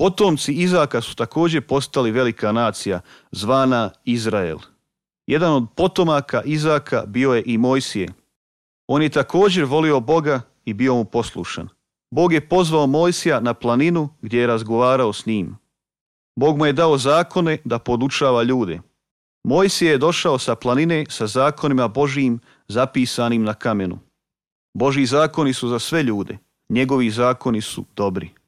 Potomci Izaka su također postali velika nacija, zvana Izrael. Jedan od potomaka Izaka bio je i Mojsije. On je također volio Boga i bio mu poslušan. Bog je pozvao Mojsija na planinu gdje je razgovarao s njim. Bog mu je dao zakone da podučava ljude. Mojsije je došao sa planine sa zakonima Božijim zapisanim na kamenu. Božji zakoni su za sve ljude. Njegovi zakoni su dobri.